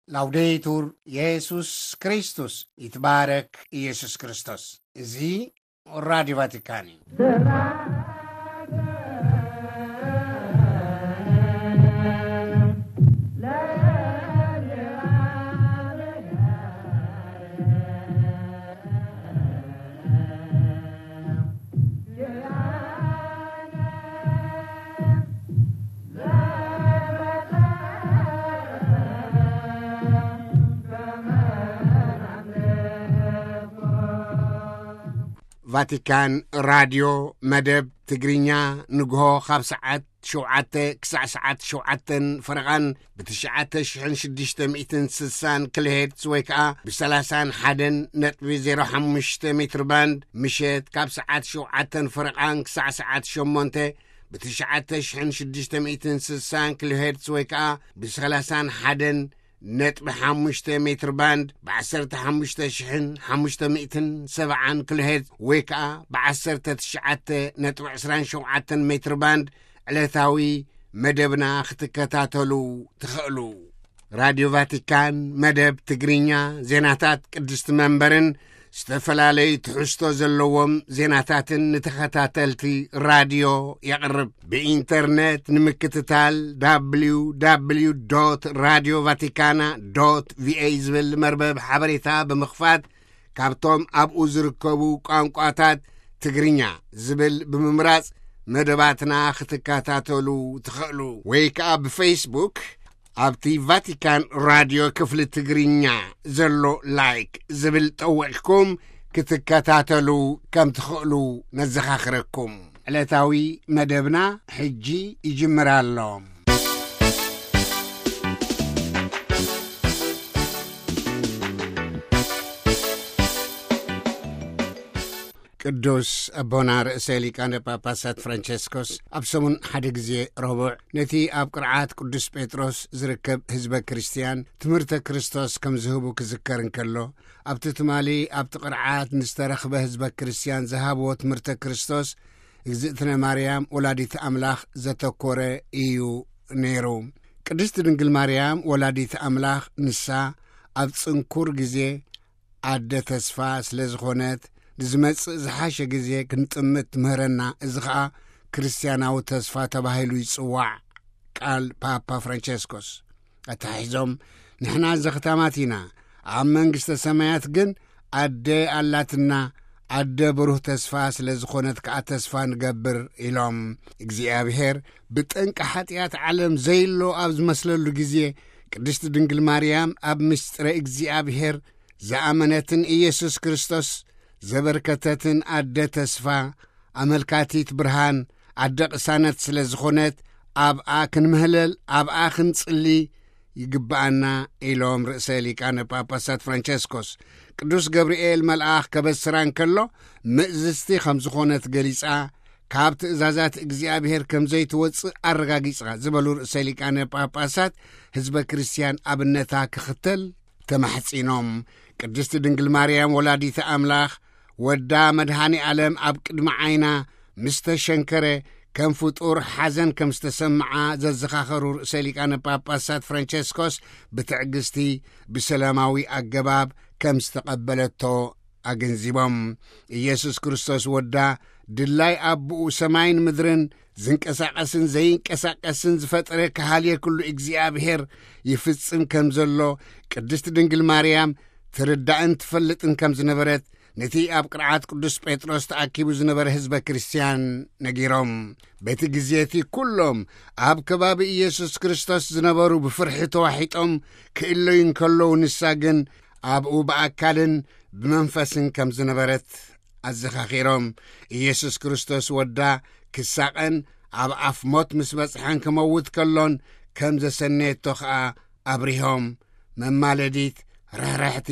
ላውዴቱር የሱስ ክርስቶስ፣ ይትባረክ ኢየሱስ ክርስቶስ። እዚ ራዲዮ ቫቲካን እዩ። ቫቲካን ራድዮ መደብ ትግርኛ ንግሆ ካብ ሰዓት ሸውዓተ ክሳዕ ሰዓት ሸውዓተን ፈረቓን ብትሽዓተ ሽሕን ሽዱሽተ ሚእትን ስሳን ኪሎሄርትዝ ወይ ከኣ ብሰላሳን ሓደን ነጥቢ ዜሮ ሓሙሽተ ሜትር ባንድ፣ ምሸት ካብ ሰዓት ሸውዓተን ፈረቓን ክሳዕ ሰዓት ሸሞንተ ብትሽዓተ ሽሕን ሽዱሽተ ሚእትን ስሳን ኪሎሄርትዝ ወይ ከኣ ብሰላሳን ሓደን ነጥቢ ሓሙሽተ ሜትር ባንድ፣ ብዓሰርተ ሓሙሽተ ሽሕን ሓሙሽተ ሚእትን ሰብዓን ኪሎሄርትዝ ወይ ከኣ ብዓሰርተ ትሽዓተ ነጥቢ ዕስራን ሸውዓተን ሜትር ባንድ ዕለታዊ መደብና ክትከታተሉ ትኽእሉ። ራድዮ ቫቲካን መደብ ትግርኛ፣ ዜናታት ቅድስቲ መንበርን ዝተፈላለዩ ትሕዝቶ ዘለዎም ዜናታትን ንተኸታተልቲ ራድዮ የቕርብ። ብኢንተርነት ንምክትታል፣ www radio vaticana va ዝብል መርበብ ሓበሬታ ብምኽፋት፣ ካብቶም ኣብኡ ዝርከቡ ቋንቋታት ትግርኛ ዝብል ብምምራጽ መደባትና ክትከታተሉ ትኽእሉ። ወይ ከኣ ብፌስቡክ ኣብቲ ቫቲካን ራድዮ ክፍሊ ትግርኛ ዘሎ ላይክ ዝብል ጠዊቕኩም ክትከታተሉ ከም ትኽእሉ ነዘኻኽረኩም። ዕለታዊ መደብና ሕጂ ይጅምር ኣሎ። ቅዱስ ኣቦና ርእሰ ሊቃነ ጳጳሳት ፍራንቸስኮስ ኣብ ሰሙን ሓደ ግዜ ረቡዕ ነቲ ኣብ ቅርዓት ቅዱስ ጴጥሮስ ዝርከብ ህዝበ ክርስትያን ትምህርተ ክርስቶስ ከም ዝህቡ ክዝከር እንከሎ፣ ኣብቲ ትማሊ ኣብቲ ቅርዓት ንዝተረኽበ ህዝበ ክርስትያን ዝሃብዎ ትምህርተ ክርስቶስ እግዝእትነ ማርያም ወላዲት ኣምላኽ ዘተኮረ እዩ ነይሩ። ቅድስቲ ድንግል ማርያም ወላዲት ኣምላኽ ንሳ ኣብ ጽንኩር ግዜ ኣደ ተስፋ ስለ ዝኾነት፣ ንዝመጽእ ዝሓሸ ግዜ ክንጥምት ትምህረና። እዚ ኸኣ ክርስትያናዊ ተስፋ ተባሂሉ ይጽዋዕ። ቃል ፓፓ ፍራንቸስኮስ ኣተሓሒዞም፣ ንሕና ዘኽታማት ኢና፣ ኣብ መንግስተ ሰማያት ግን ኣደ ኣላትና፣ ኣደ ብሩህ ተስፋ ስለ ዝኾነት ከኣ ተስፋ ንገብር ኢሎም። እግዚኣብሔር ብጠንቂ ሓጢኣት ዓለም ዘይሎ ኣብ ዝመስለሉ ግዜ፣ ቅድስቲ ድንግል ማርያም ኣብ ምስጢረ እግዚኣብሔር ዝኣመነትን ኢየሱስ ክርስቶስ ዘበርከተትን ኣደ ተስፋ፣ ኣመልካቲት ብርሃን፣ ኣደ ቅሳነት ስለ ዝኾነት፣ ኣብኣ ክንምህለል፣ ኣብኣ ክንጽሊ ይግብኣና ኢሎም ርእሰ ሊቃነ ጳጳሳት ፍራንቸስኮስ። ቅዱስ ገብርኤል መልኣኽ ከበስራ እንከሎ፣ ምእዝዝቲ ከም ዝኾነት ገሊጻ፣ ካብ ትእዛዛት እግዚኣብሔር ከም ዘይትወጽእ ኣረጋጊጻ ዝበሉ ርእሰ ሊቃነ ጳጳሳት፣ ህዝበ ክርስትያን ኣብነታ ክኽተል ተማሕጺኖም። ቅድስቲ ድንግል ማርያም ወላዲተ ኣምላኽ፣ ወዳ መድኃኔ ዓለም ኣብ ቅድሚ ዓይና ምስ ተሸንከረ፣ ከም ፍጡር ሓዘን ከም ዝተሰምዓ ዘዘኻኸሩ ርእሰ ሊቃነ ጳጳሳት ፍራንቸስኮስ፣ ብትዕግስቲ ብሰላማዊ ኣገባብ ከም ዝተቐበለቶ ኣገንዚቦም። ኢየሱስ ክርስቶስ ወዳ፣ ድላይ ኣቦኡ ሰማይን ምድርን ዝንቀሳቐስን ዘይንቀሳቐስን ዝፈጠረ፣ ከሃልየ ኩሉ እግዚኣብሔር ይፍጽም ከም ዘሎ ቅድስቲ ድንግል ማርያም ትርዳእን ትፈልጥን ከም ዝነበረት፣ ነቲ ኣብ ቅርዓት ቅዱስ ጴጥሮስ ተኣኪቡ ዝነበረ ህዝበ ክርስትያን ነጊሮም። በቲ ግዜ እቲ ኩሎም ኣብ ከባቢ ኢየሱስ ክርስቶስ ዝነበሩ ብፍርሒ ተዋሒጦም ክእለዩ እንከለዉ፣ ንሳ ግን ኣብኡ ብኣካልን ብመንፈስን ከም ዝነበረት ኣዘኻኺሮም። ኢየሱስ ክርስቶስ ወዳ ክሳቐን ኣብ ኣፍ ሞት ምስ በጽሐን ክመውት ከሎን ከም ዘሰነየቶ ኸኣ ኣብሪሆም። መማለዲት፣ ርሕርሕቲ፣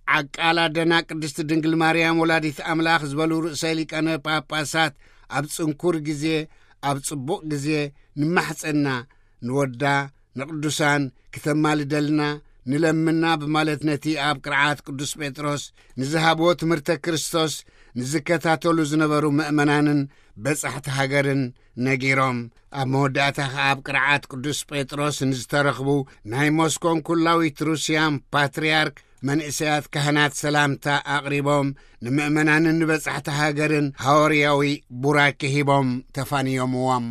ዓቃል ኣደና ቅድስቲ ድንግል ማርያም ወላዲት ኣምላኽ ዝበሉ ርእሰ ሊቃነ ጳጳሳት፣ ኣብ ጽንኩር ግዜ፣ ኣብ ጽቡቕ ግዜ ንማሕጸና፣ ንወዳ፣ ንቅዱሳን ክተማልደልና፣ ንለምና ብማለት ነቲ ኣብ ቅርዓት ቅዱስ ጴጥሮስ ንዝሃብዎ ትምህርተ ክርስቶስ ንዝከታተሉ ዝነበሩ ምእመናንን በጻሕቲ ሃገርን ነጊሮም፣ ኣብ መወዳእታ ኸኣ ኣብ ቅርዓት ቅዱስ ጴጥሮስ ንዝተረኽቡ ናይ ሞስኮን ኩላዊት ሩስያን ፓትርያርክ መንእሰያት ካህናት ሰላምታ ኣቕሪቦም፣ ንምእመናንን ንበጻሕቲ ሃገርን ሃዋርያዊ ቡራኬ ሂቦም ተፋንዮምዎም።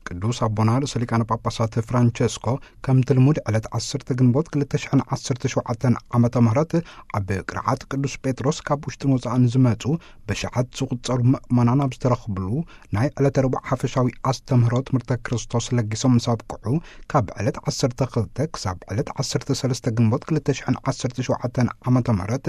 ቅዱስ ኣቦና ርእሰ ሊቃነ ጳጳሳት ፍራንቸስኮ ከምቲ ልሙድ ዕለት ዓሰርተ ግንቦት ክልተ ሽሕን ዓሰርተ ሸውዓተን ዓመተ ምህረት ኣብ ቅርዓት ቅዱስ ጴጥሮስ ካብ ውሽጥን ወጻእን ዝመጹ ብሽዓት ዝቑጸሩ ምእመናን ኣብ ዝተረኽብሉ ናይ ዕለተ ረቡዕ ሓፈሻዊ ኣስተምህሮ ትምህርተ ክርስቶስ ለጊሶም ምስ ኣብቅዑ፣ ካብ ዕለት ዓሰርተ ክልተ ክሳብ ዕለት ዓሰርተ ሰለስተ ግንቦት ክልተ ሽሕን ዓሰርተ ሸውዓተን ዓመተ ምህረት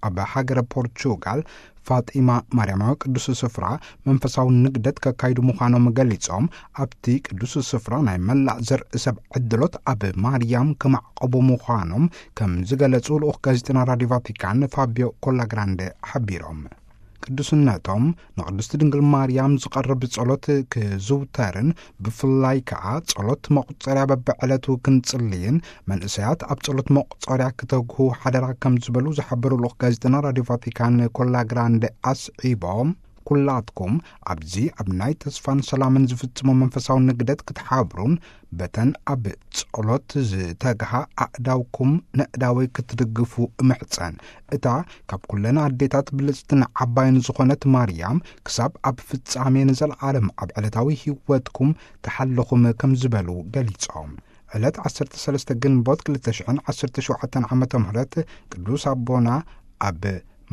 ኣብ ሃገረ ፖርቹጋል ፋጢማ ማርያማዊ ቅዱስ ስፍራ መንፈሳዊ ንግደት ከካይዱ ምዃኖም ገሊጾም፣ ኣብቲ ቅዱስ ስፍራ ናይ መላእ ዘርኢ ሰብ ዕድሎት ኣብ ማርያም ክማዕቆቡ ምዃኖም ከም ዝገለጹ ልኡኽ ጋዜጠና ራዲዮ ቫቲካን ፋቢዮ ኮላግራንደ ሓቢሮም። ቅዱስነቶም ንቅድስቲ ድንግል ማርያም ዝቐርብ ጸሎት ክዝውተርን ብፍላይ ከኣ ጸሎት መቑጸርያ በብዕለቱ ክንጽልይን መንእሰያት ኣብ ጸሎት መቑጸርያ ክተግሁ ሓደራ ከም ዝበሉ ዝሓበሩ ልኡኽ ጋዜጠና ራዲዮ ቫቲካን ኮላግራንደ ኣስዒቦም፣ ኩላትኩም ኣብዚ ኣብ ናይ ተስፋን ሰላምን ዝፍጽሞ መንፈሳዊ ንግደት ክትሓብሩን በተን ኣብ ጸሎት ዝተግሃ ኣእዳውኩም ነእዳወይ ክትድግፉ እምሕጸን። እታ ካብ ኩለን ኣዴታት ብልጽትን ዓባይን ዝኾነት ማርያም ክሳብ ኣብ ፍጻሜ ንዘለዓለም ኣብ ዕለታዊ ህይወትኩም ትሓልኹም ከም ዝበሉ ገሊጾም። ዕለት ዓሰርተ ሰለስተ ግንቦት ክልተ ሽሕን ዓሰርተ ሸውዓተን ዓመተ ምህረት ቅዱስ ኣቦና ኣብ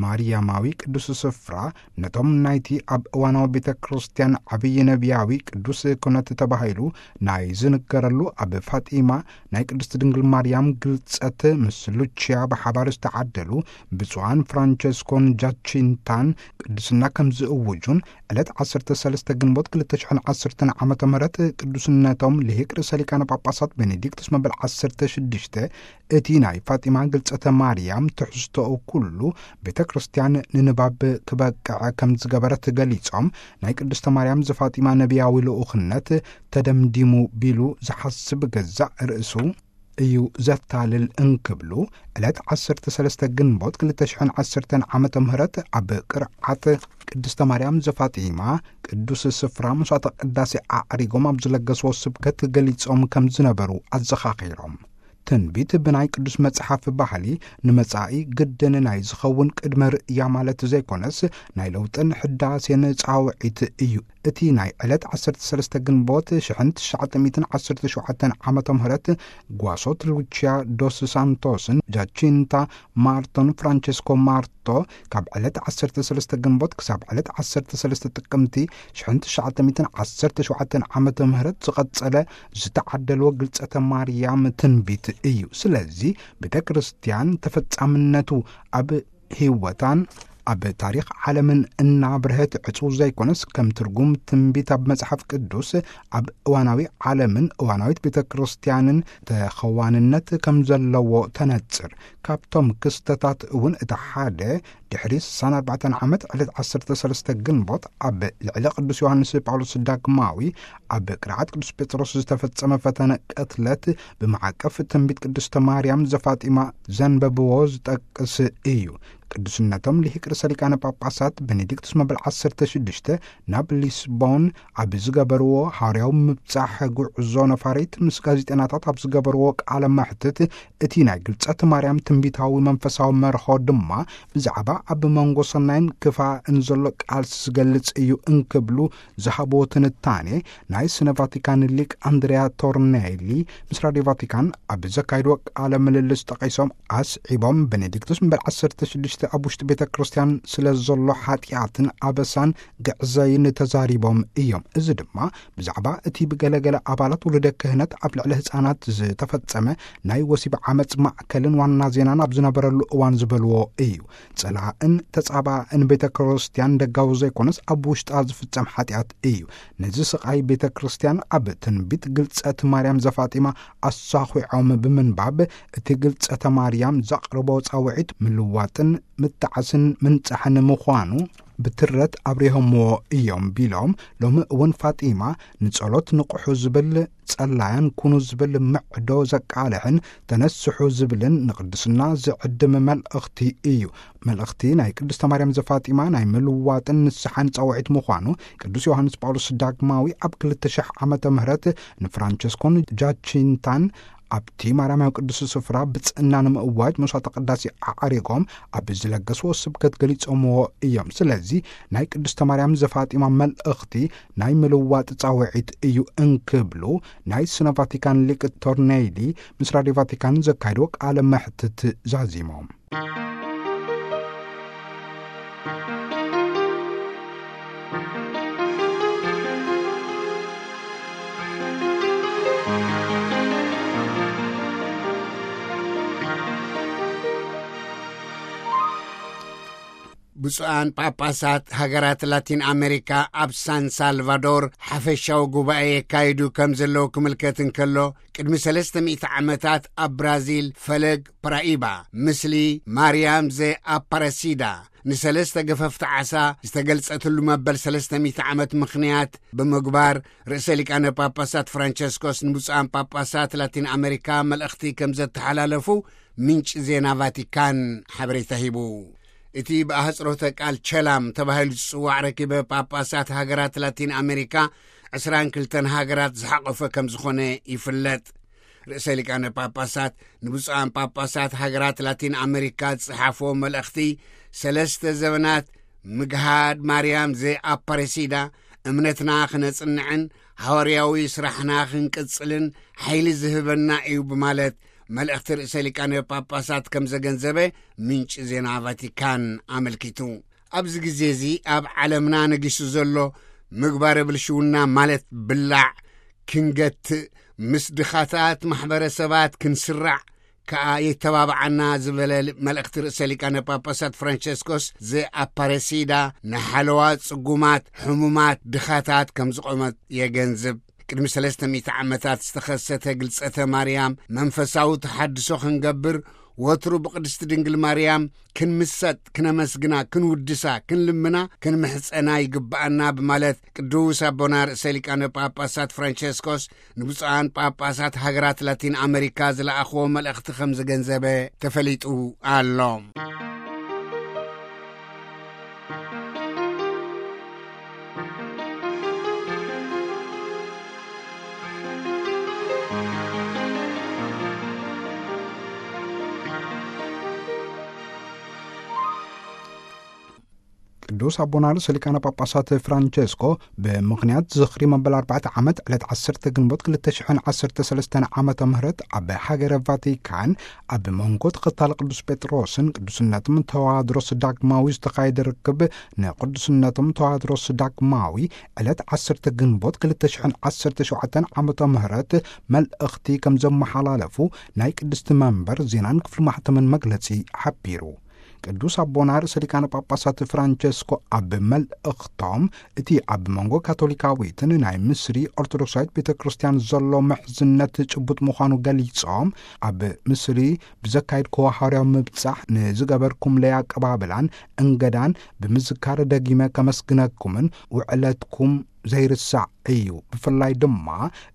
ማርያማዊ ቅዱስ ስፍራ ነቶም ናይቲ ኣብ እዋናዊ ቤተ ክርስቲያን ዓብዪ ነቢያዊ ቅዱስ ኩነት ተባሂሉ ናይ ዝንገረሉ ኣብ ፋጢማ ናይ ቅድስቲ ድንግል ማርያም ግልጸት ምስ ሉቺያ ብሓባር ዝተዓደሉ ብፁዓን ፍራንቸስኮን ጃቺንታን ቅድስና ከም ዝእውጁን ዕለት ዓሰርተ ሰለስተ ግንቦት ክልተ ሽሕን ዓሰርተን ዓመተ ምህረት ቅዱስነቶም ልሂቅ ርእሰ ሊቃነ ጳጳሳት ቤኔዲክቱስ መበል ዓሰርተ ሽዱሽተ እቲ ናይ ፋጢማ ግልጸተ ማርያም ትሕዝቶኡ ኩሉ ቤተ ክርስቲያን ንንባብ ክበቅዕ ከም ዝገበረት ገሊጾም፣ ናይ ቅድስተ ማርያም ዘፋጢማ ነቢያዊ ልኡኽነት ተደምዲሙ ቢሉ ዝሓስብ ገዛእ ርእሱ እዩ ዘታልል እንክብሉ፣ ዕለት ዓሰርተ ሰለስተ ግንቦት ክልተ ሽሕን ዓሰርተን ዓመተ ምህረት ኣብ ቅርዓት ቅድስተ ማርያም ዘፋጢማ ቅዱስ ስፍራ መስዋዕተ ቅዳሴ ኣዕሪጎም ኣብ ዝለገስዎ ስብከት ገሊጾም ከም ዝነበሩ ኣዘኻኺሮም። ትንቢት ብናይ ቅዱስ መጽሓፍ ባህሊ ንመጻኢ ግድን ናይ ዝኸውን ቅድመ ርእያ ማለት ዘይኮነስ፣ ናይ ለውጥን ሕዳሴን ጻውዒት እዩ። እቲ ናይ ዕለት ዓሰርተ ሰለስተ ግንቦት ሽሕን ትሽዓተ ሚእትን ዓሰርተ ሸውዓተን ዓመተ ምህረት ጓሶት ሉቺያ ዶስ ሳንቶስን ጃቺንታ ማርቶን ፍራንቸስኮ ማርቶ ካብ ዕለት ዓሰርተ ሰለስተ ግንቦት ክሳብ ዕለት ዓሰርተ ሰለስተ ጥቅምቲ ሽሕን ትሽዓተ ሚእትን ዓሰርተ ሸውዓተን ዓመተ ምህረት ዝቐጸለ ዝተዓደልዎ ግልጸተ ማርያም ትንቢት እዩ። ስለዚ ቤተ ክርስቲያን ተፈጻምነቱ ኣብ ህይወታን ኣብ ታሪኽ ዓለምን እናብርሀት ዕጹው ዘይኮነስ፣ ከም ትርጉም ትንቢት ኣብ መጽሓፍ ቅዱስ ኣብ እዋናዊ ዓለምን እዋናዊት ቤተ ክርስቲያንን ተኸዋንነት ከም ዘለዎ ተነጽር። ካብቶም ክስተታት እውን እቲ ሓደ፣ ድሕሪ ስሳን ኣርባዕተን ዓመት ዕለት ዓሰርተ ሰለስተ ግንቦት ኣብ ልዕሊ ቅዱስ ዮሃንስ ጳውሎስ ዳግማዊ ኣብ ቅርዓት ቅዱስ ጴጥሮስ ዝተፈጸመ ፈተነ ቅትለት ብማዕቀፍ ትንቢት ቅድስተ ማርያም ዘፋጢማ ዘንበብዎ ዝጠቅስ እዩ። ቅዱስነቶም ልሂቅ ርእሰ ሊቃነ ጳጳሳት ቤኔዲክቱስ መበል ዓሰርተ ሽዱሽተ ናብ ሊስቦን ኣብ ዝገበርዎ ሃዋርያዊ ምብጻሕ ጉዕዞ ነፋሪት ምስ ጋዜጠናታት ኣብ ዝገበርዎ ቃለ መሕትት፣ እቲ ናይ ግልጸት ማርያም ትንቢታዊ መንፈሳዊ መርሆ ድማ ብዛዕባ ኣብ መንጎ ሰናይን ክፋእን ዘሎ ቃልሲ ዝገልጽ እዩ እንክብሉ ዝሃብዎ ትንታኔ ናይ ስነ ቫቲካን ሊቅ ኣንድሪያ ቶርኔሊ ምስ ራድዮ ቫቲካን ኣብ ዘካይድዎ ቃለ ምልልስ ጠቒሶም ኣስዒቦም፣ ቤኔዲክቱስ እምበር ዓሰርተ ሽዱሽተ እቲ ኣብ ውሽጢ ቤተ ክርስቲያን ስለ ዘሎ ሓጢኣትን ኣበሳን ግዕዘይን ተዛሪቦም እዮም። እዚ ድማ ብዛዕባ እቲ ብገለገለ ኣባላት ውሉደ ክህነት ኣብ ልዕሊ ህፃናት ዝተፈጸመ ናይ ወሲብ ዓመፅ ማእከልን ዋና ዜናን ኣብ ዝነበረሉ እዋን ዝበልዎ እዩ። ጸላእን ተጻባእን ቤተ ክርስቲያን ደጋዊ ዘይኮነስ ኣብ ውሽጣ ዝፍጸም ሓጢኣት እዩ። ነዚ ስቓይ ቤተ ክርስቲያን ኣብ ትንቢት ግልጸት ማርያም ዘፋጢማ ኣሳኺዖም ብምንባብ፣ እቲ ግልጸተ ማርያም ዘቕርቦ ጻውዒት ምልዋጥን ምጣዓስን ምንጻሕን ምዃኑ ብትረት ኣብሪሆምዎ እዮም ቢሎም፣ ሎሚ እውን ፋጢማ ንጸሎት ንቕሑ ዝብል፣ ጸላያን ኩኑ ዝብል ምዕዶ ዘቃልሕን ተነስሑ ዝብልን ንቅድስና ዝዕድም መልእኽቲ እዩ። መልእኽቲ ናይ ቅድስተ ማርያም ዘፋጢማ ናይ ምልዋጥን ንስሓን ጻውዒት ምዃኑ ቅዱስ ዮሃንስ ጳውሎስ ዳግማዊ ኣብ ክልተ ሽሕ ዓመተ ምህረት ንፍራንቸስኮን ጃቺንታን ኣብቲ ማርያማዊ ቅዱስ ስፍራ ብጽእና ንምእዋጅ መስዋዕተ ቅዳሴ ኣዕሪጎም ኣብ ዝለገስዎ ስብከት ገሊጾምዎ እዮም። ስለዚ ናይ ቅድስተ ማርያም ዘፋጢማ መልእኽቲ ናይ ምልዋጥ ጻውዒት እዩ እንክብሉ ናይ ስነ ቫቲካን ሊቅ ቶርኔሊ ምስ ራድዮ ቫቲካን ዘካየድዎ ቃለ መሕትት ዛዚሞም። ብፁዓን ጳጳሳት ሃገራት ላቲን ኣሜሪካ ኣብ ሳን ሳልቫዶር ሓፈሻዊ ጉባኤ የካይዱ ከም ዘለዉ ክምልከት እንከሎ፣ ቅድሚ ሰለስተ ሚእቲ ዓመታት ኣብ ብራዚል ፈለግ ፕራኢባ፣ ምስሊ ማርያም ዘ ኣፓረሲዳ፣ ንሰለስተ ገፈፍቲ ዓሳ ዝተገልጸትሉ መበል ሰለስተ ሚእቲ ዓመት ምኽንያት ብምግባር፣ ርእሰ ሊቃነ ጳጳሳት ፍራንቸስኮስ ንብፁዓን ጳጳሳት ላቲን ኣሜሪካ መልእኽቲ ከም ዘተሓላለፉ ምንጪ ዜና ቫቲካን ሓበሬታ ሂቡ። እቲ ብኣህጽሮተ ቃል ቸላም ተባሂሉ ዝጽዋዕ ረኪበ ጳጳሳት ሃገራት ላቲን ኣሜሪካ ዕስራን ክልተን ሃገራት ዝሓቖፈ ከም ዝኾነ ይፍለጥ። ርእሰ ሊቃነ ጳጳሳት ንብፁዓን ጳጳሳት ሃገራት ላቲን ኣሜሪካ ዝጸሓፍዎ መልእኽቲ፣ ሰለስተ ዘበናት ምግሃድ ማርያም ዘኣፓረሲዳ እምነትና ክነጽንዕን ሃዋርያዊ ስራሕና ክንቅጽልን ሓይሊ ዝህበና እዩ ብማለት መልእኽቲ ርእሰ ሊቃነ ጳጳሳት ከም ዘገንዘበ ምንጪ ዜና ቫቲካን ኣመልኪቱ። ኣብዚ ግዜ እዚ ኣብ ዓለምና ነጊሱ ዘሎ ምግባረ ብልሽውና ማለት ብላዕ ክንገትእ፣ ምስ ድኻታት ማሕበረሰባት ክንስራዕ ከኣ የተባብዓና ዝበለ መልእኽቲ ርእሰ ሊቃነ ጳጳሳት ፍራንቸስኮስ ዘኣፓረሲዳ ንሓለዋ ጽጉማት፣ ሕሙማት፣ ድኻታት ከም ዝቖመት የገንዝብ። ቅድሚ ሰለስተ ሚእቲ ዓመታት ዝተኸሰተ ግልጸተ ማርያም መንፈሳዊ ተሓድሶ ክንገብር፣ ወትሩ ብቅድስቲ ድንግል ማርያም ክንምሰጥ፣ ክነመስግና፣ ክንውድሳ፣ ክንልምና፣ ክንምሕጸና ይግብኣና ብማለት ቅዱስ ኣቦና ርእሰ ሊቃነ ጳጳሳት ፍራንቸስኮስ ንብፁዓን ጳጳሳት ሃገራት ላቲን ኣመሪካ ዝለኣኽዎ መልእኽቲ ከም ዘገንዘበ ተፈሊጡ ኣሎ። ቅዱስ ኣቦና ርእሰ ሊቃነ ጳጳሳት ፍራንቸስኮ ብምኽንያት ዝኽሪ መበል ኣርባዕተ ዓመት ዕለት ዓሰርተ ግንቦት ክልተ ሽሕን ዓሰርተ ሰለስተን ዓመተ ምህረት ኣብ ሃገረ ቫቲካን ኣብ መንጎ ተኸታሊ ቅዱስ ጴጥሮስን ቅዱስነቶም ተዋድሮስ ዳግማዊ ዝተኻየደ ርክብ፣ ንቅዱስነቶም ተዋድሮስ ዳግማዊ ዕለት ዓሰርተ ግንቦት ክልተ ሽሕን ዓሰርተ ሸውዓተን ዓመተ ምህረት መልእኽቲ ከም ዘመሓላለፉ ናይ ቅድስቲ መንበር ዜናን ክፍሊ ማሕተምን መግለጺ ሓቢሩ። ቅዱስ ኣቦና ርእሰ ሊቃነ ጳጳሳት ፍራንቸስኮ ኣብ መልእኽቶም፣ እቲ ኣብ መንጎ ካቶሊካዊትን ናይ ምስሪ ኦርቶዶክሳዊት ቤተ ክርስቲያን ዘሎ ምሕዝነት ጭቡጥ ምዃኑ ገሊጾም፣ ኣብ ምስሪ ብዘካየድክዎ ሃዋርያዊ ምብጻሕ ንዝገበርኩምለይ ኣቀባብላን እንገዳን ብምዝካር ደጊመ ከመስግነኩምን ውዕለትኩም ዘይርሳዕ እዩ። ብፍላይ ድማ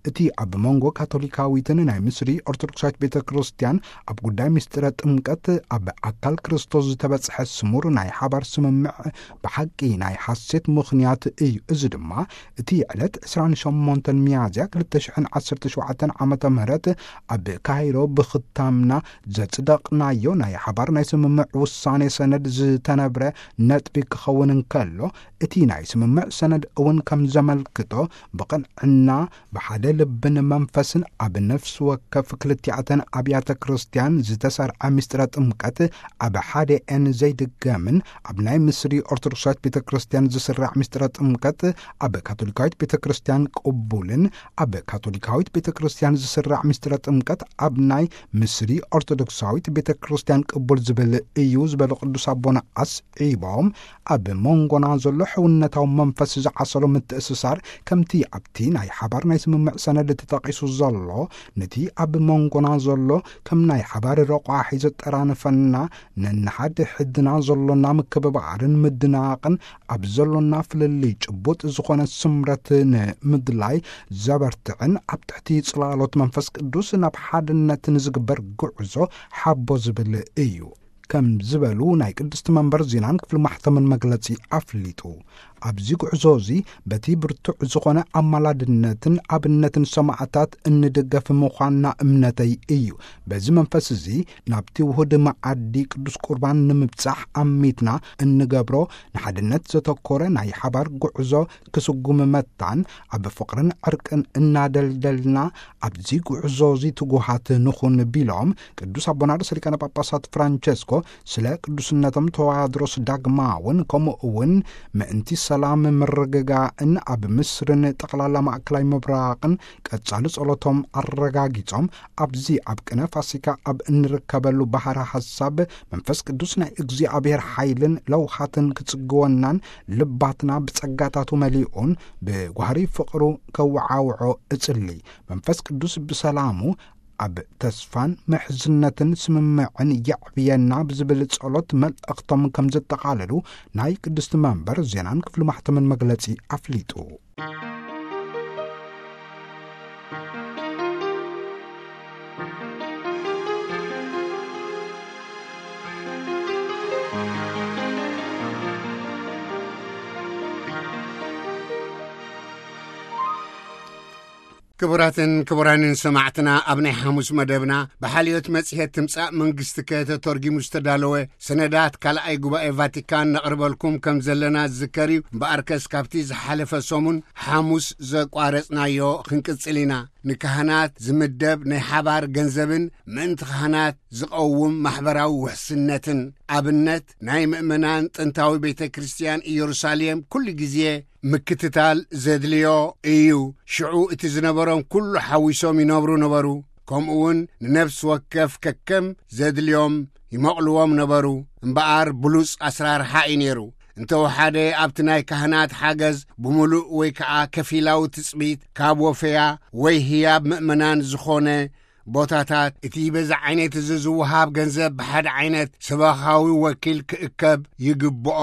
እቲ ኣብ መንጎ ካቶሊካዊትን ናይ ምስሪ ኦርቶዶክሳዊት ቤተ ክርስቲያን ኣብ ጉዳይ ምስጢረ ጥምቀት ኣብ ኣካል ክርስቶስ ዝተበጽሐ ስሙር ናይ ሓባር ስምምዕ ብሓቂ ናይ ሓሴት ምኽንያት እዩ። እዚ ድማ እቲ ዕለት ዕስራን ሸሞንተን ሚያዝያ ክልተ ሽሕን ዓሰርተ ሸውዓተን ዓመተ ምህረት ኣብ ካይሮ ብኽታምና ዘጽደቕናዮ ናይ ሓባር ናይ ስምምዕ ውሳኔ ሰነድ ዝተነብረ ነጥቢ ክኸውን እንከሎ፣ እቲ ናይ ስምምዕ ሰነድ እውን ከም ተመልክቶ፣ ብቕንዕና፣ ብሓደ ልብን መንፈስን ኣብ ነፍሲ ወከፍ ክልቲኣተን ኣብያተ ክርስቲያን ዝተሰርዐ ምስጢረ ጥምቀት ኣብ ሓደኤን ዘይድገምን፣ ኣብ ናይ ምስሪ ኦርቶዶክሳዊት ቤተ ክርስቲያን ዝስራዕ ምስጢረ ጥምቀት ኣብ ካቶሊካዊት ቤተ ክርስቲያን ቅቡልን፣ ኣብ ካቶሊካዊት ቤተ ክርስቲያን ዝስራዕ ምስጢረ ጥምቀት ኣብ ናይ ምስሪ ኦርቶዶክሳዊት ቤተ ክርስቲያን ቅቡል ዝብል እዩ ዝበሉ ቅዱስ ኣቦና ኣስዒቦም፣ ኣብ መንጎና ዘሎ ሕውነታዊ መንፈስ ዝዓሰሎ ምትእስሳር፣ ከምቲ ኣብቲ ናይ ሓባር ናይ ስምምዕ ሰነድ ተጠቒሱ ዘሎ፣ ነቲ ኣብ መንጎና ዘሎ ከም ናይ ሓባር ረቋሒ ዘጠራንፈና፣ ነንሓድ ሕድና ዘሎና ምክብባርን ምድናቕን፣ ኣብ ዘሎና ፍልልይ ጭቡጥ ዝኾነ ስምረት ንምድላይ ዘበርትዕን፣ ኣብ ትሕቲ ጽላሎት መንፈስ ቅዱስ ናብ ሓድነት ንዝግበር ጉዕዞ ሓቦ ዝብል እዩ። ከም ዝበሉ ናይ ቅድስቲ መንበር ዜናን ክፍሊ ማሕተምን መግለጺ ኣፍሊጡ። ኣብዚ ጉዕዞ እዚ በቲ ብርቱዕ ዝኾነ ኣማላድነትን ኣብነትን ሰማዕታት እንድገፍ ምዃንና እምነተይ እዩ። በዚ መንፈስ እዚ ናብቲ ውሁድ መዓዲ ቅዱስ ቁርባን ንምብጻሕ ኣሚትና እንገብሮ ንሓድነት ዘተኮረ ናይ ሓባር ጉዕዞ ክስጉም መታን ኣብ ፍቕርን ዕርቅን እናደልደልና ኣብዚ ጉዕዞ እዚ ትጉሃት ንኹን ቢሎም ቅዱስ ኣቦና ርእሰ ሊቃነ ጳጳሳት ፍራንቸስኮ ስለ ቅዱስነቶም ተዋድሮስ ዳግማውን ከምኡ እውን ምእንቲ ሰላም ምርግጋእን ኣብ ምስርን ጠቕላላ ማእከላይ ምብራቕን ቀጻሊ ጸሎቶም ኣረጋጊጾም፣ ኣብዚ ኣብ ቅነ ፋሲካ ኣብ እንርከበሉ ባሕሪ ሓሳብ መንፈስ ቅዱስ ናይ እግዚኣብሔር ሓይልን ለውሃትን ክጽግወናን ልባትና ብጸጋታቱ መሊኡን ብጓህሪ ፍቕሩ ከወዓውዖ እጽሊ። መንፈስ ቅዱስ ብሰላሙ ኣብ ተስፋን ምሕዝነትን ስምምዕን የዕብየና ብዝብል ጸሎት መልእኽቶም ከም ዘጠቓለሉ ናይ ቅድስቲ መንበር ዜናን ክፍሊ ማሕተምን መግለጺ ኣፍሊጡ። ክቡራትን ክቡራንን ሰማዕትና፣ ኣብ ናይ ሓሙስ መደብና ብሓልዮት መጽሔት ትምጻእ መንግስቲ ከተተርጊሙ ዝተዳለወ ሰነዳት ካልኣይ ጉባኤ ቫቲካን ነቕርበልኩም ከም ዘለና ዝዝከር እዩ። እምበኣርከስ ካብቲ ዝሓለፈ ሰሙን ሓሙስ ዘቋረጽናዮ ክንቅጽል ኢና። ንካህናት ዝምደብ ናይ ሓባር ገንዘብን ምእንቲ ካህናት ዝቐውም ማሕበራዊ ውሕስነትን ኣብነት ናይ ምእመናን ጥንታዊ ቤተ ክርስቲያን ኢየሩሳሌም ኩሉ ግዜ ምክትታል ዘድልዮ እዩ። ሽዑ እቲ ዝነበሮም ኩሉ ሓዊሶም ይነብሩ ነበሩ። ከምኡ እውን ንነፍሲ ወከፍ ከከም ዘድልዮም ይመቕልዎም ነበሩ። እምበኣር ብሉጽ ኣስራርሓ እዩ ነይሩ። እንተወሓደ ኣብቲ ናይ ካህናት ሓገዝ ብምሉእ ወይ ከኣ ከፊላዊ ትጽቢት ካብ ወፈያ ወይ ህያብ ምእመናን ዝኾነ ቦታታት፣ እቲ በዚ ዓይነት እዚ ዝወሃብ ገንዘብ ብሓደ ዓይነት ሰበኻዊ ወኪል ክእከብ ይግብኦ።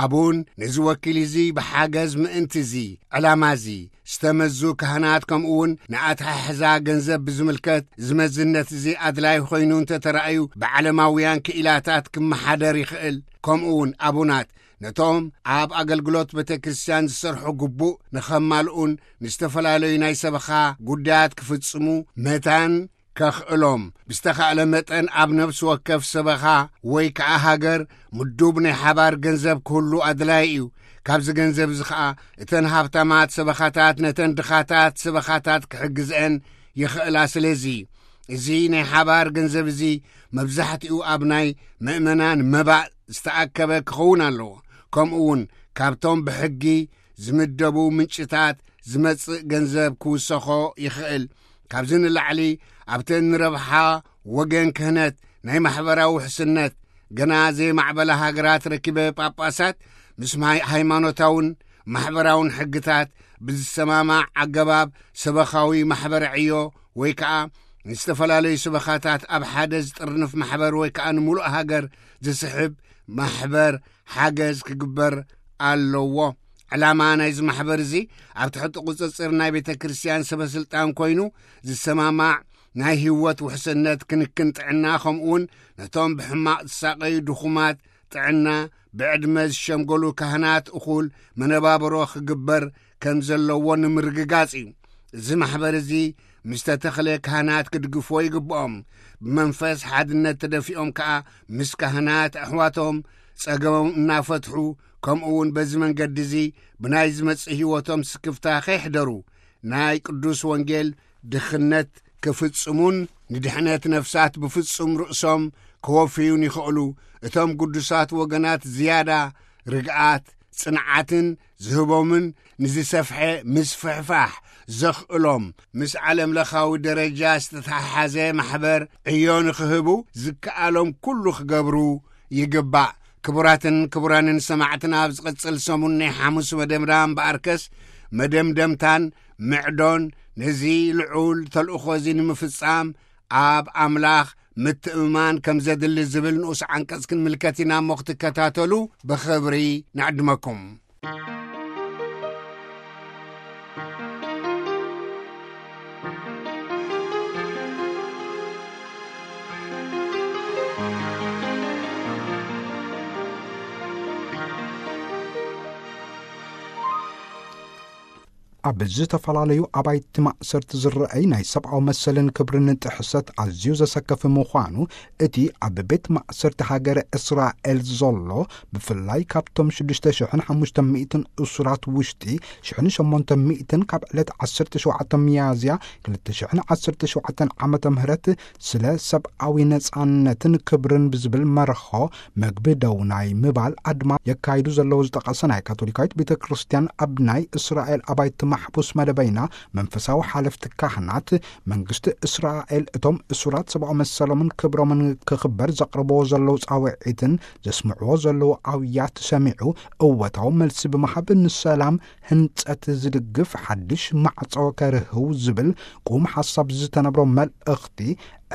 ኣቡን ነዚ ወኪል እዚ ብሓገዝ ምእንቲ እዚ ዕላማ እዚ ዝተመዙ ካህናት፣ ከምኡ እውን ንኣተሓሕዛ ገንዘብ ብዝምልከት እዚ መዝነት እዚ ኣድላይ ኮይኑ እንተተራእዩ፣ ብዓለማውያን ክኢላታት ክመሓደር ይኽእል። ከምኡ እውን ኣቡናት ነቶም ኣብ ኣገልግሎት ቤተ ክርስቲያን ዝሰርሑ ግቡእ ንኸማልኡን ንዝተፈላለዩ ናይ ሰበኻ ጉዳያት ክፍጽሙ መታን ከኽእሎም፣ ብዝተኻእለ መጠን ኣብ ነፍሲ ወከፍ ሰበኻ ወይ ከኣ ሃገር ምዱብ ናይ ሓባር ገንዘብ ክህሉ ኣድላዪ እዩ። ካብዚ ገንዘብ እዚ ኸኣ እተን ሃብታማት ሰበኻታት ነተን ድኻታት ሰበኻታት ክሕግዝአን ይኽእላ። ስለዚ እዚ ናይ ሓባር ገንዘብ እዚ መብዛሕትኡ ኣብ ናይ ምእመናን መባእ ዝተኣከበ ክኸውን ኣለዎ። ከምኡ እውን ካብቶም ብሕጊ ዝምደቡ ምንጭታት ዝመጽእ ገንዘብ ክውሰኾ ይኽእል። ካብዚ ንላዕሊ ኣብተን ንረብሓ ወገን ክህነት ናይ ማሕበራዊ ውሕስነት ገና ዘይማዕበላ ሃገራት ረኪበ ጳጳሳት ምስ ማይ-፣ ሃይማኖታውን ማሕበራውን ሕግታት ብዝሰማማዕ ኣገባብ ሰበኻዊ ማሕበረ ዕዮ ወይ ከኣ ንዝተፈላለዩ ሰበኻታት ኣብ ሓደ ዝጥርንፍ ማሕበር ወይ ከኣ ንምሉእ ሃገር ዝስሕብ ማሕበር ሓገዝ ክግበር ኣለዎ። ዕላማ ናይዚ ማሕበር እዚ ኣብ ትሕቲ ቁጽጽር ናይ ቤተ ክርስቲያን ሰበ ስልጣን ኮይኑ ዝሰማማዕ ናይ ህይወት ውሕስነት፣ ክንክን ጥዕና፣ ከምኡውን ነቶም ብሕማቕ ዝሳቐዩ ድኹማት ጥዕና፣ ብዕድመ ዝሸምገሉ ካህናት እኹል መነባብሮ ክግበር ከም ዘለዎ ንምርግጋጽ እዩ። እዚ ማሕበር እዚ ምስ ተተኽለ ካህናት ክድግፍዎ ይግብኦም። ብመንፈስ ሓድነት ተደፊኦም ከኣ ምስ ካህናት ኣሕዋቶም ጸገሞም እናፈትሑ ከምኡ እውን በዚ መንገዲ እዚ ብናይ ዝመጽእ ህይወቶም ስክፍታ ከይሕደሩ፣ ናይ ቅዱስ ወንጌል ድኽነት ክፍጽሙን ንድሕነት ነፍሳት ብፍጹም ርእሶም ክወፍዩን ይኽእሉ። እቶም ግዱሳት ወገናት ዝያዳ ርግኣት፣ ጽንዓትን ዝህቦምን ንዝሰፍሐ ምስፍሕፋሕ ዘኽእሎም፣ ምስ ዓለም ለኻዊ ደረጃ ዝተተሓሓዘ ማሕበር ዕዮ ንኽህቡ ዝከኣሎም ኩሉ ክገብሩ ይግባእ። ክቡራትን ክቡራንን ሰማዕትና፣ ኣብ ዝቕጽል ሰሙን ናይ ሓሙስ መደብና እምበኣርከስ መደምደምታን ምዕዶን ነዚ ልዑል ተልእኾ እዚ ንምፍጻም ኣብ ኣምላኽ ምትእምማን ከም ዘድሊ ዝብል ንኡስ ዓንቀጽ ክንምልከት ኢና እሞ ክትከታተሉ ብኽብሪ ንዕድመኩም። ኣብ ዝተፈላለዩ ኣባይቲ ማእሰርቲ ዝረኣይ ናይ ሰብኣዊ መሰልን ክብርን ጥሕሰት ኣዝዩ ዘሰከፊ ምዃኑ፣ እቲ ኣብ ቤት ማእሰርቲ ሃገረ እስራኤል ዘሎ፣ ብፍላይ ካብቶም ሽዱሽተ ሽሕን ሓሙሽተ ሚእትን እሱራት ውሽጢ፣ ሽሕን ሸሞንተ ሚእትን ካብ ዕለት ዓሰርተ ሸውዓተ ሚያዝያ ክልተ ሽሕን ዓሰርተ ሸውዓተን ዓመተ ምህረት ስለ ሰብኣዊ ነጻነትን ክብርን ብዝብል መርሖ መግቢ ደው ናይ ምባል ኣድማ የካይዱ ዘለዉ ዝጠቐሰ ናይ ካቶሊካዊት ቤተ ክርስቲያን፣ ኣብ ናይ እስራኤል ኣባይቲ ማሕቡስ መደበይና መንፈሳዊ ሓለፍቲ ካህናት፣ መንግስቲ እስራኤል እቶም እሱራት ሰብኣዊ መሰሎምን ክብሮምን ክኽበር ዘቕርብዎ ዘለዉ ጻውዒትን ዘስምዕዎ ዘለዉ ኣውያት ሰሚዑ እወታዊ መልሲ ብምሃብ ንሰላም ህንጸት ዝድግፍ ሓድሽ ማዕጾ ከርህው ዝብል ቁም ሓሳብ ዝተነብሮ መልእኽቲ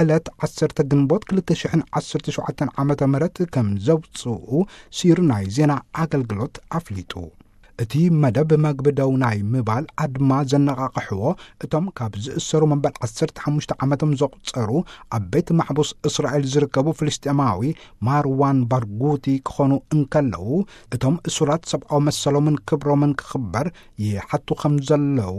ዕለት ዓሰርተ ግንቦት ክልተ ሽሕን ዓሰርተ ሸውዓተን ዓመተ ምህረት ከም ዘውጽኡ ሲር ናይ ዜና ኣገልግሎት ኣፍሊጡ። እቲ መደብ መግቢ ደው ናይ ምባል ኣድማ ዘነቓቕሕዎ እቶም ካብ ዝእሰሩ መበል ዓሰርተ ሓሙሽተ ዓመቶም ዘቑጸሩ ኣብ ቤት ማሕቡስ እስራኤል ዝርከቡ ፍልስጤማዊ ማርዋን ባርጉቲ ክኾኑ እንከለዉ፣ እቶም እሱራት ሰብኣዊ መሰሎምን ክብሮምን ክኽበር ይሓቱ ከም ዘለዉ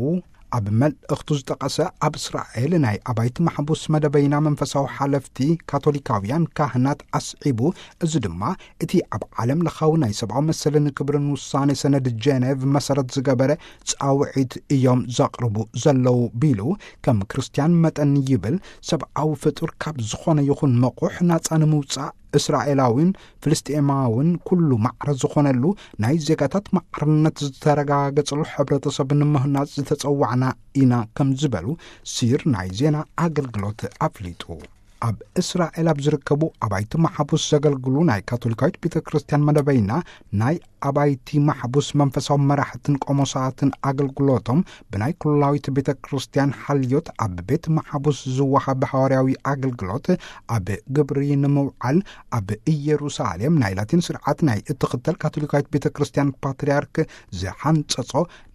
ኣብ መልእኽቱ ዝጠቐሰ ኣብ እስራኤል ናይ ኣባይቲ ማሕቡስ መደበይና መንፈሳዊ ሓለፍቲ ካቶሊካውያን ካህናት ኣስዒቡ፣ እዚ ድማ እቲ ኣብ ዓለም ለኻዊ ናይ ሰብኣዊ መሰልን ክብርን ውሳኔ ሰነድ ጀኔቭ መሰረት ዝገበረ ጻውዒት እዮም ዘቕርቡ ዘለዉ ቢሉ፣ ከም ክርስትያን መጠን ይብል ሰብኣዊ ፍጡር ካብ ዝኾነ ይኹን መቑሕ ናጻ ንምውጻእ እስራኤላዊን ፍልስጤማውን ኩሉ ማዕረ ዝኾነሉ ናይ ዜጋታት ማዕርነት ዝተረጋገጸሉ ሕብረተሰብ ንምህናጽ ዝተጸዋዕና ኢና ከም ዝበሉ ሲር ናይ ዜና ኣገልግሎት ኣፍሊጡ። ኣብ እስራኤል ኣብ ዝርከቡ ኣባይቲ ማሕቡስ ዘገልግሉ ናይ ካቶሊካዊት ቤተ ክርስቲያን መደበይና ናይ ኣባይቲ ማሕቡስ መንፈሳዊ መራሕትን ቆሞሳትን ኣገልግሎቶም ብናይ ኩላዊት ቤተ ክርስቲያን ሓልዮት ኣብ ቤት ማሕቡስ ዝወሃብ ሃዋርያዊ ኣገልግሎት ኣብ ግብሪ ንምውዓል ኣብ ኢየሩሳሌም ናይ ላቲን ስርዓት ናይ እትኽተል ካቶሊካዊት ቤተ ክርስቲያን ፓትርያርክ ዝሓንጸጾ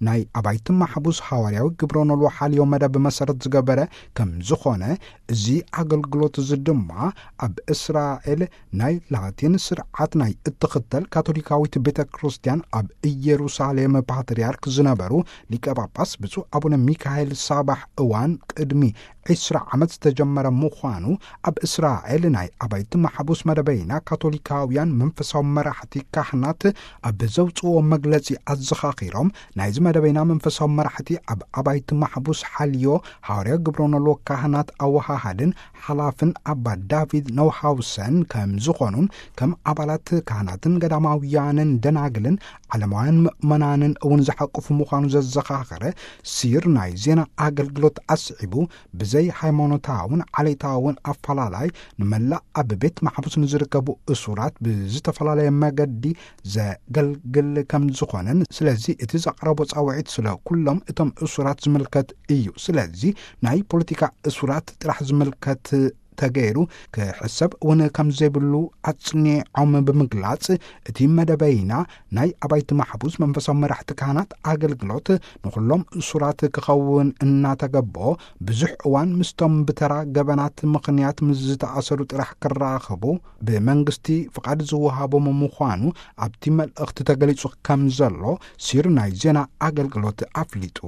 ናይ ኣባይቲ ማሕቡስ ሃዋርያዊ ግብረ ኖልዎ ሓልዮ መደብ መሰረት ዝገበረ ከም ዝኾነ፣ እዚ ኣገልግሎት እዚ ድማ ኣብ እስራኤል ናይ ላቲን ስርዓት ናይ እትኽተል ካቶሊካዊት ቤተ ክርስቲያን ኣብ ኢየሩሳሌም ፓትርያርክ ዝነበሩ ሊቀ ጳጳስ ብፁዕ ኣቡነ ሚካኤል ሳባሕ እዋን ቅድሚ ዒስራ ዓመት ዝተጀመረ ምዃኑ፣ ኣብ እስራኤል ናይ ኣባይቲ ማሕቡስ መደበይና ካቶሊካውያን መንፈሳዊ መራሕቲ ካህናት ኣብ ዘውፅዎ መግለፂ ኣዘኻኺሮም፣ ናይዚ መደበይና መንፈሳዊ መራሕቲ ኣብ ኣባይቲ ማሕቡስ ሓልዮ ሃዋርያ ግብረ ኖልዎ ካህናት ኣወሃሃድን ሓላፍን ኣባ ዳቪድ ነውሃውሰን ከም ዝኾኑን፣ ከም ኣባላት ካህናትን ገዳማውያንን ደናግልን ዓለማውያን ምእመናንን እውን ዝሓቁፉ ምዃኑ ዘዘኻኸረ ሲር ናይ ዜና ኣገልግሎት ኣስዒቡ፣ ብዘይ ሃይማኖታውን ዓሌታውን ኣፈላላይ ንመላእ ኣብ ቤት ማሕቡስ ንዝርከቡ እሱራት ብዝተፈላለየ መገዲ ዘገልግል ከም ዝኾነን፣ ስለዚ እቲ ዘቕረቦ ጻውዒት ስለ ኩሎም እቶም እሱራት ዝምልከት እዩ። ስለዚ ናይ ፖለቲካ እሱራት ጥራሕ ዝምልከት ተገይሩ ክሕሰብ እውን ከም ዘይብሉ ኣጽኒዖም ብምግላጽ፣ እቲ መደበይና ናይ ኣባይቲ ማሕቡስ መንፈሳዊ መራሕቲ ካህናት ኣገልግሎት ንኹሎም እሱራት ክኸውን እናተገበኦ፣ ብዙሕ እዋን ምስቶም ብተራ ገበናት ምኽንያት ምስ ዝተኣሰሩ ጥራሕ ክራኸቡ ብመንግስቲ ፍቓድ ዝወሃቦም ምዃኑ ኣብቲ መልእኽቲ ተገሊጹ ከም ዘሎ ሲር ናይ ዜና ኣገልግሎት ኣፍሊጡ።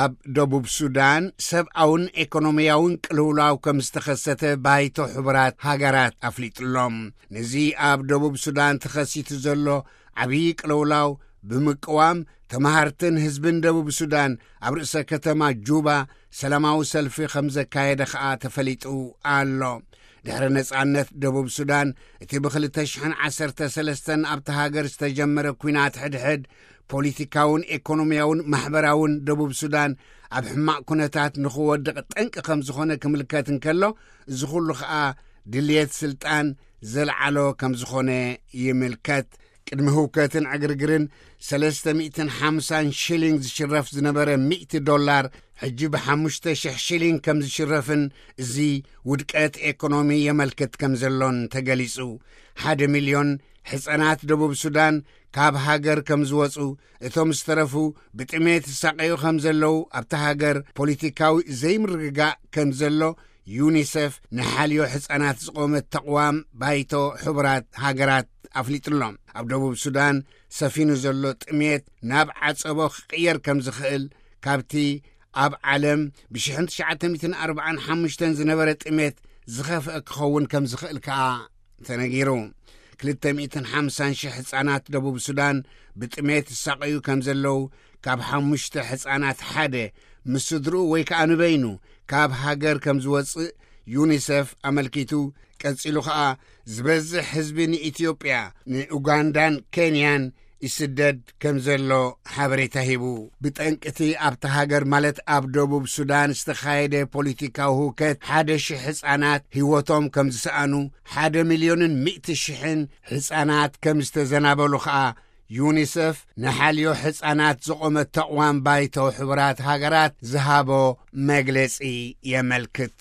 ኣብ ደቡብ ሱዳን ሰብኣውን ኤኮኖሚያውን ቅልውላው ከም ዝተኸሰተ ባይቶ ሕቡራት ሃገራት ኣፍሊጡሎም። ነዚ ኣብ ደቡብ ሱዳን ተኸሲቱ ዘሎ ዓብዪ ቅልውላው ብምቅዋም፣ ተመሃርትን ህዝብን ደቡብ ሱዳን ኣብ ርእሰ ከተማ ጁባ ሰላማዊ ሰልፊ ከም ዘካየደ ኸኣ ተፈሊጡ ኣሎ። ድሕሪ ነጻነት ደቡብ ሱዳን፣ እቲ ብ ክልተ ሽሕን ዓሰርተ ሰለስተን ኣብታ ሃገር ዝተጀመረ ኲናት ሕድሕድ፣ ፖሊቲካውን ኤኮኖሚያውን ማሕበራውን ደቡብ ሱዳን ኣብ ሕማቕ ኩነታት ንኽወድቕ ጠንቂ ከም ዝኾነ ክምልከት እንከሎ፣ እዚ ኩሉ ኸኣ ድልየት ስልጣን ዘልዓሎ ከም ዝኾነ ይምልከት። ቅድሚ ህውከትን ዕግርግርን ሰለስተ ሚእትን ሓምሳን ሽሊንግ ዝሽረፍ ዝነበረ ሚእቲ ዶላር፣ ሕጂ ብ ሓሙሽተ ሽሕ ሽሊንግ ከም ዝሽረፍን፣ እዚ ውድቀት ኤኮኖሚ የመልክት ከም ዘሎን ተገሊጹ። ሓደ ሚልዮን ሕጻናት ደቡብ ሱዳን ካብ ሃገር ከም ዝወጹ፣ እቶም ዝተረፉ ብጥሜት ይሳቐዩ ከም ዘለዉ፣ ኣብታ ሃገር ፖሊቲካዊ ዘይምርግጋእ ከም ዘሎ ዩኒሰፍ ንሓልዮ ሕጻናት ዝቖመት ተቕዋም ባይቶ ሕቡራት ሃገራት ኣፍሊጡሎም። ኣብ ደቡብ ሱዳን ሰፊኑ ዘሎ ጥሜት ናብ ዓጸቦ ክቕየር ከም ዝኽእል፣ ካብቲ ኣብ ዓለም ብ ሽሕን ትሽዓተ ሚእትን ኣርባዓን ሓሙሽተን ዝነበረ ጥሜት ዝኸፍአ ክኸውን ከም ዝኽእል ከኣ ተነጊሩ። ክልተ ሚእትን ሓምሳን ሽሕ ህጻናት ደቡብ ሱዳን ብጥሜት ይሳቐዩ ከም ዘለዉ፣ ካብ ሓሙሽተ ህጻናት ሓደ ምስ ስድርኡ ወይ ከኣ ንበይኑ ካብ ሃገር ከም ዝወጽእ ዩኒሰፍ ኣመልኪቱ። ቀጺሉ ኸኣ፣ ዝበዝሕ ህዝቢ ንኢትዮጵያ፣ ንኡጋንዳን ኬንያን ይስደድ ከም ዘሎ ሓበሬታ ሂቡ። ብጠንቅቲ ኣብታ ሃገር፣ ማለት ኣብ ደቡብ ሱዳን ዝተኻየደ ፖሊቲካዊ ህውከት፣ ሓደ ሽሕ ህጻናት ህይወቶም ከም ዝሰኣኑ፣ ሓደ ሚልዮንን ሚእቲ ሽሕን ህጻናት ከም ዝተዘናበሉ ኸኣ ዩኒሰፍ ንሓልዮ ህጻናት ዝቖመት ተቕዋም ባይቶ ሕቡራት ሃገራት ዝሃቦ መግለጺ የመልክት።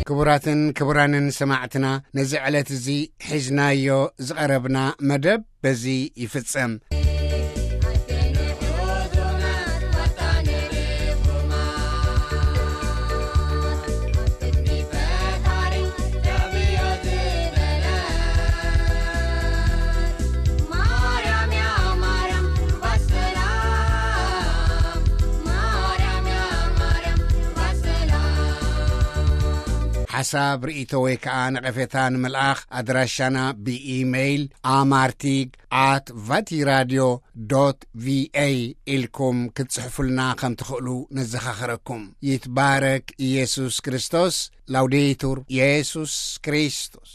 ክቡራትን ክቡራንን ሰማዕትና፣ ነዚ ዕለት እዚ ሒዝናዮ ዝቐረብና መደብ በዚ ይፍጸም። ሓሳብ፣ ርእይቶ ወይ ከኣ ነቐፌታ ንምልኣኽ፣ ኣድራሻና ብኢሜይል ኣማርቲግ ኣት ቫቲራድዮ ዶት ቪኤ ኢልኩም ክትጽሕፉልና ከም ትኽእሉ ነዘኻኽረኩም። ይትባረክ ኢየሱስ ክርስቶስ። ላውዴቱር ኢየሱስ ክርስቶስ።